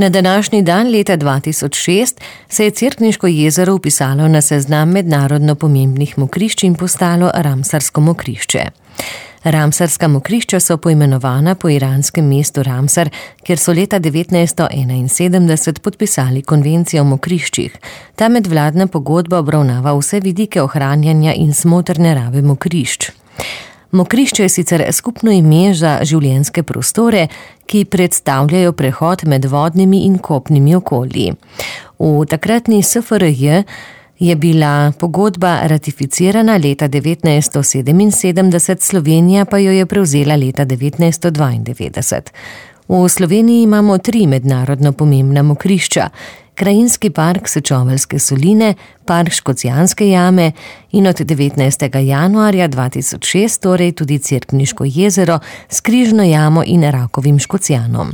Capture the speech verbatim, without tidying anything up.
Na današnji dan leta dva tisoč šest se je Cerkniško jezero vpisalo na seznam mednarodno pomembnih mokrišč in postalo Ramsarsko mokrišče. Ramsarska mokrišča so poimenovana po iranskem mestu Ramsar, kjer so leta devetnajststo enainsedemdeset podpisali konvencijo o mokriščih. Ta medvladna pogodba obravnava vse vidike ohranjanja in smotrne rabe mokrišč. Mokrišče je sicer skupno ime za življenjske prostore, ki predstavljajo prehod med vodnimi in kopnimi okolji. V takratni S F R J je bila pogodba ratificirana leta devetnajststo sedeminsedemdeset, Slovenija pa jo je prevzela leta devetnajststo dvaindevetdeset. V Sloveniji imamo tri mednarodno pomembna mokrišča: Krajinski park Sečoveljske soline, park Škocjanske jame in od devetnajstega januarja dva tisoč šest torej tudi Cerkniško jezero s Križno jamo in Rakovim Škocjanom.